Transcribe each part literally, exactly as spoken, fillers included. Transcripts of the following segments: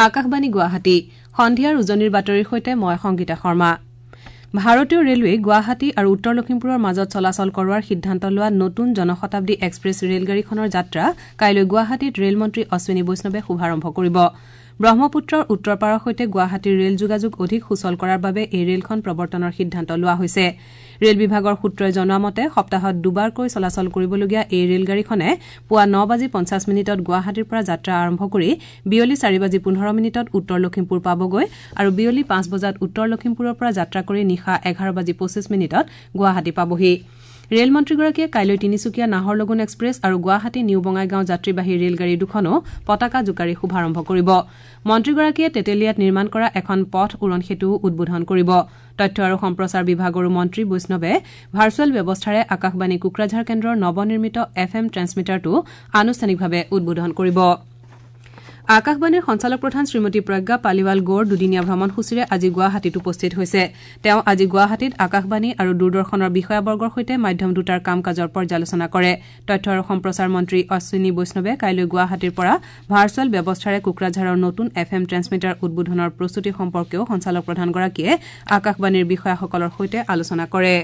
আকাশবাণী গুৱাহাটী সন্ধিয়াৰ উজনিৰ বাতৰিৰ সৈতে মই সংগীতা শৰ্মা। ভাৰতীয় ৰেলৱেই গুৱাহাটী আৰু উত্তৰ লখিমপুৰৰ মাজত চলাচল কৰোৱাৰ সিদ্ধান্ত লোৱা নতুন জনশতাব্দী এক্সপ্ৰেছ ৰেলগাড়ীখনৰ যাত্ৰা কাইলৈ গুৱাহাটীত ৰেলমন্ত্ৰী অশ্বিনী বৈষ্ণৱে শুভাৰম্ভ কৰিব। ব্ৰহ্মপুত্ৰৰ উত্তৰ পাৰৰ সৈতে গুৱাহাটীৰ ৰেল যোগাযোগ অধিক সুচল কৰাৰ বাবে এই ৰেলখন প্ৰৱৰ্তনৰ সিদ্ধান্ত লোৱা হৈছে। ৰেল বিভাগৰ সূত্ৰই জনোৱা মতে সপ্তাহত দুবাৰকৈ চলাচল কৰিবলগীয়া এই ৰেলগাড়ীখনে পুৱা ন বাজি পঞ্চাছ মিনিটত গুৱাহাটীৰ পৰা যাত্ৰা আৰম্ভ কৰি বিয়লি চাৰি বাজি পোন্ধৰ মিনিটত উত্তৰ লখিমপুৰ পাবগৈ আৰু বিয়লি পাঁচ বজাত উত্তৰ লখিমপুৰৰ পৰা যাত্ৰা কৰি নিশা এঘাৰ বাজি পঁচিছ মিনিটত গুৱাহাটী পাবহি। ৰেল মন্ত্ৰীগৰাকীয়ে কাইলৈ তিনিচুকীয়া নাহৰলগুন এক্সপ্ৰেছ আৰু গুৱাহাটী নিউ বঙাইগাঁও যাত্ৰীবাহী ৰেলগাড়ী দুখনো পতাকা জোকাৰি শুভাৰম্ভ কৰিব। মন্ত্ৰীগৰাকীয়ে তেতেলীয়াত নিৰ্মাণ কৰা এখন পথ উৰণ সেতুও উদ্বোধন কৰিব। তথ্য আৰু সম্প্ৰচাৰ বিভাগৰো মন্ত্ৰী বৈষ্ণৱে ভাৰ্চুৱেল ব্যৱস্থাৰে আকাশবাণী কোকৰাঝাৰ কেন্দ্ৰৰ নৱনিৰ্মিত এফ এম ট্ৰেন্সমিটাৰটো আনুষ্ঠানিকভাৱে উদ্বোধন কৰিব। আকাশবাণীৰ সঞ্চালক প্ৰধান শ্ৰীমতী প্ৰজ্ঞা পালিৱাল গৌৰ দুদিনীয়া ভ্ৰমণসূচীৰে আজি গুৱাহাটীত উপস্থিত হৈছে। তেওঁ আজি গুৱাহাটীত আকাশবাণী আৰু দূৰদৰ্শনৰ বিষয়াবৰ্গৰ সৈতে মাধ্যম দুটাৰ কাম কাজৰ পৰ্যালোচনা কৰে। তথ্য আৰু সম্প্ৰচাৰ মন্ত্ৰী অশ্বিনী বৈষ্ণৱে কাইলৈ গুৱাহাটীৰ পৰা ভাৰ্চুৱেল ব্যৱস্থাৰে কোকৰাঝাৰৰ নতুন এফ এম ট্ৰেন্সমিটাৰ উদ্বোধনৰ প্ৰস্তুতি সম্পৰ্কেও সঞ্চালক প্ৰধানগৰাকীয়ে আকাশবাণীৰ বিষয়াসকলৰ সৈতে আলোচনা কৰে।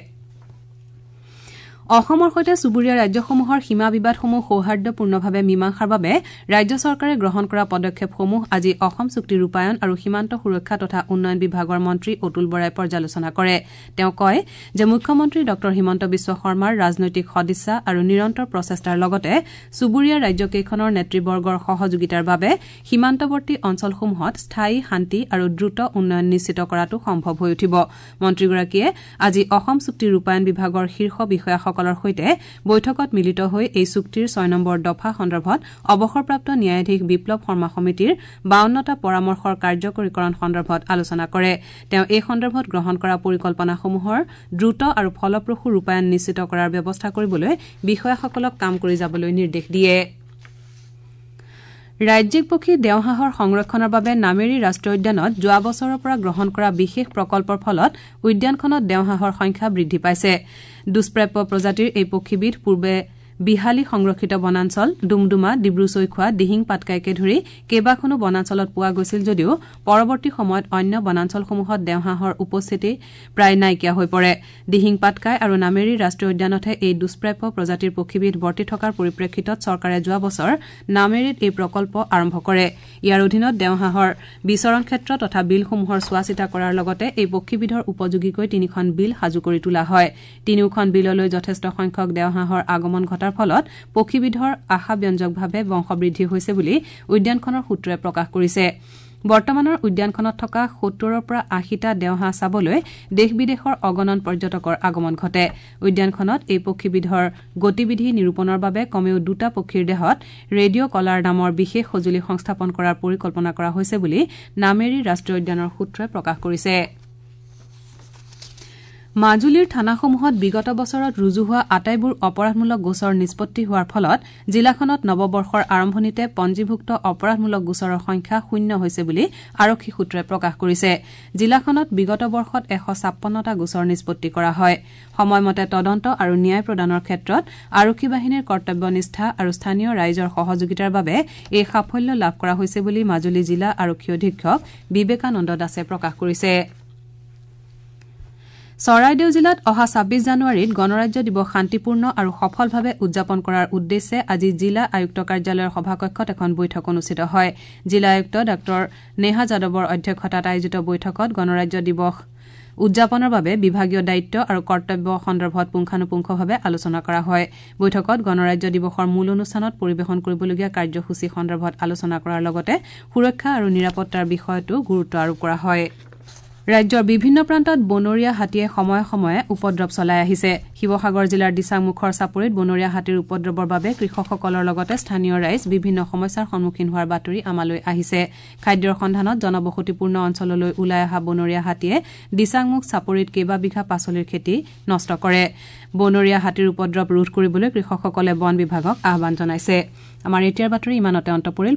অসমৰ সৈতে চুবুৰীয়া ৰাজ্যসমূহৰ সীমা বিবাদসমূহ সৌহাৰ্দ্যপূৰ্ণভাৱে মীমাংসাৰ বাবে ৰাজ্য চৰকাৰে গ্ৰহণ কৰা পদক্ষেপসমূহ আজি অসম চুক্তি ৰূপায়ণ আৰু সীমান্ত সুৰক্ষা তথা উন্নয়ন বিভাগৰ মন্ত্ৰী অতুল বৰাই পৰ্যালোচনা কৰে। তেওঁ কয় যে মুখ্যমন্ত্ৰী ডঃ হিমন্ত বিশ্ব শৰ্মাৰ ৰাজনৈতিক সদিচ্ছা আৰু নিৰন্তৰ প্ৰচেষ্টাৰ লগতে চুবুৰীয়া ৰাজ্যকেইখনৰ নেতৃবৰ্গৰ সহযোগিতাৰ বাবে সীমান্তৱৰ্তী অঞ্চলসমূহত স্থায়ী শান্তি আৰু দ্ৰুত উন্নয়ন নিশ্চিত কৰাটো সম্ভৱ হৈ উঠিব। মন্ত্ৰীগৰাকীয়ে আজি অসম চুক্তি ৰূপায়ণ বিভাগৰ শীৰ্ষ বিষয়াসকলৰ সৈতে বৈঠকত মিলিত হৈ এই চুক্তিৰ ছয় নম্বৰ দফা সন্দৰ্ভত অৱসৰপ্ৰাপ্ত ন্যায়াধীশ বিপ্লৱ শৰ্মা সমিতিৰ বাৱন্নটা পৰামৰ্শৰ কাৰ্যকৰীকৰণ সন্দৰ্ভত আলোচনা কৰে। তেওঁ এই সন্দৰ্ভত গ্ৰহণ কৰা পৰিকল্পনাসমূহৰ দ্ৰুত আৰু ফলপ্ৰসূ ৰূপায়ণ নিশ্চিত কৰাৰ ব্যৱস্থা কৰিবলৈ বিষয়াসকলক কাম কৰি যাবলৈ নিৰ্দেশ দিয়ে। ৰাজ্যিক পক্ষী দেওহাঁহৰ সংৰক্ষণৰ বাবে নামেৰী ৰাষ্ট্ৰীয় উদ্যানত যোৱা বছৰৰ পৰা গ্ৰহণ কৰা বিশেষ প্ৰকল্পৰ ফলত উদ্যানখনত দেওহাঁহৰ সংখ্যা বৃদ্ধি পাইছে। দুষ্প্ৰাপ্য প্ৰজাতিৰ এই পক্ষীবিধ পূৰ্বে বিহালী সংৰক্ষিত বনাঞ্চল, ডুমডুমা, ডিব্ৰু ছৈখোৱা, দিহিং পাটকাইকে ধৰি কেইবাখনো বনাঞ্চলত পোৱা গৈছিল যদিও পৰৱৰ্তী সময়ত অন্য বনাঞ্চলসমূহত দেওহাঁহৰ উপস্থিতি প্ৰায় নাইকিয়া হৈ পৰে। দিহিং পাটকাই আৰু নামেৰী ৰাষ্ট্ৰীয় উদ্যানতহে এই দুষ্প্ৰাপ্য প্ৰজাতিৰ পক্ষীবিধ বৰ্তি থকাৰ পৰিপ্ৰেক্ষিতত চৰকাৰে যোৱা বছৰ নামেৰীত এই প্ৰকল্প আৰম্ভ কৰে। ইয়াৰ অধীনত দেওহাঁহৰ বিচৰণ ক্ষেত্ৰ তথা বিলসমূহৰ চোৱাচিতা কৰাৰ লগতে এই পক্ষীবিধৰ উপযোগীকৈ তিনিখন বিল সাজু কৰি তোলা হয়। তিনিওখন বিললৈ যথেষ্ট সংখ্যক দেওহাঁহৰ আগমন ঘটাৰ ফলত পক্ষীবিধৰ আশাব্যঞ্জকভাৱে বংশবৃদ্ধি হৈছে বুলি উদ্যানখনৰ সূত্ৰই প্ৰকাশ কৰিছে। বৰ্তমানৰ উদ্যানখনত থকা সত্তৰৰ পৰা আশীটা দেওহাঁহ চাবলৈ দেশ বিদেশৰ অগণন পৰ্যটকৰ আগমন ঘটে। উদ্যানখনত এই পক্ষীবিধৰ গতিবিধি নিৰূপণৰ বাবে কমেও দুটা পক্ষীৰ দেহত ৰেডিঅ' কলাৰ নামৰ বিশেষ সঁজুলি সংস্থাপন কৰাৰ পৰিকল্পনা কৰা হৈছে বুলি নামেৰী ৰাষ্ট্ৰীয় উদ্যানৰ সূত্ৰই প্ৰকাশ কৰিছে। মাজুলীৰ থানাসমূহত বিগত বছৰত ৰুজু হোৱা আটাইবোৰ অপৰাধমূলক গোচৰ নিষ্পত্তি হোৱাৰ ফলত জিলাখনত নৱবৰ্ষৰ আৰম্ভণিতে পঞ্জীভুক্ত অপৰাধমূলক গোচৰৰ সংখ্যা শূন্য হৈছে বুলি আৰক্ষী সূত্ৰই প্ৰকাশ কৰিছে। জিলাখনত বিগত বৰ্ষত এশ ছাপন্নটা গোচৰ নিষ্পত্তি কৰা হয়। সময়মতে তদন্ত আৰু ন্যায় প্ৰদানৰ ক্ষেত্ৰত আৰক্ষী বাহিনীৰ কৰ্তব্যনিষ্ঠা আৰু স্থানীয় ৰাইজৰ সহযোগিতাৰ বাবে এই সাফল্য লাভ কৰা হৈছে বুলি মাজুলী জিলা আৰক্ষী অধীক্ষক বিবেকানন্দ দাসে প্ৰকাশ কৰিছে। চৰাইদেউ জিলাত অহা ছাব্বিছ জানুৱাৰীত গণৰাজ্য দিৱস শান্তিপূৰ্ণ আৰু সফলভাৱে উদযাপন কৰাৰ উদ্দেশ্যে আজি জিলা আয়ুক্ত কাৰ্যালয়ৰ সভাকক্ষত এখন বৈঠক অনুষ্ঠিত হয়। জিলা আয়ুক্ত ডাঃ নেহা যাদৱৰ অধ্যক্ষতাত আয়োজিত বৈঠকত গণৰাজ্য দিৱস উদযাপনৰ বাবে বিভাগীয় দায়িত্ব আৰু কৰ্তব্য সন্দৰ্ভত পুংখানুপুংখভাৱে আলোচনা কৰা হয়। বৈঠকত গণৰাজ্য দিৱসৰ মূল অনুষ্ঠানত পৰিৱেশন কৰিবলগীয়া কাৰ্যসূচী সন্দৰ্ভত আলোচনা কৰাৰ লগতে সুৰক্ষা আৰু নিৰাপত্তাৰ বিষয়তো গুৰুত্ব আৰোপ কৰা হয়। ৰাজ্যৰ বিভিন্ন প্ৰান্তত বনৰীয়া হাতীয়ে সময়ে সময়ে উপদ্ৰৱ চলাই আহিছে। শিৱসাগৰ জিলাৰ দিচাংমুখৰ চাপৰিত বনৰীয়া হাতীৰ উপদ্ৰৱৰ বাবে কৃষকসকলৰ লগতে স্থানীয় ৰাইজ বিভিন্ন সমস্যাৰ সন্মুখীন হোৱাৰ বাতৰি আমালৈ আহিছে। খাদ্যৰ সন্ধানত জনবসতিপূৰ্ণ অঞ্চললৈ ওলাই অহা বনৰীয়া হাতীয়ে দিচাংমুখ চাপৰিত কেইবা বিঘা পাচলিৰ খেতি নষ্ট কৰে। বনৰীয়া হাতীৰ উপদ্ৰৱ ৰোধ কৰিবলৈ কৃষকসকলে বন বিভাগক আহ্বান জনাইছে। আমাৰ এতিয়াৰ বাতৰি ইমানতে অন্ত পৰিল।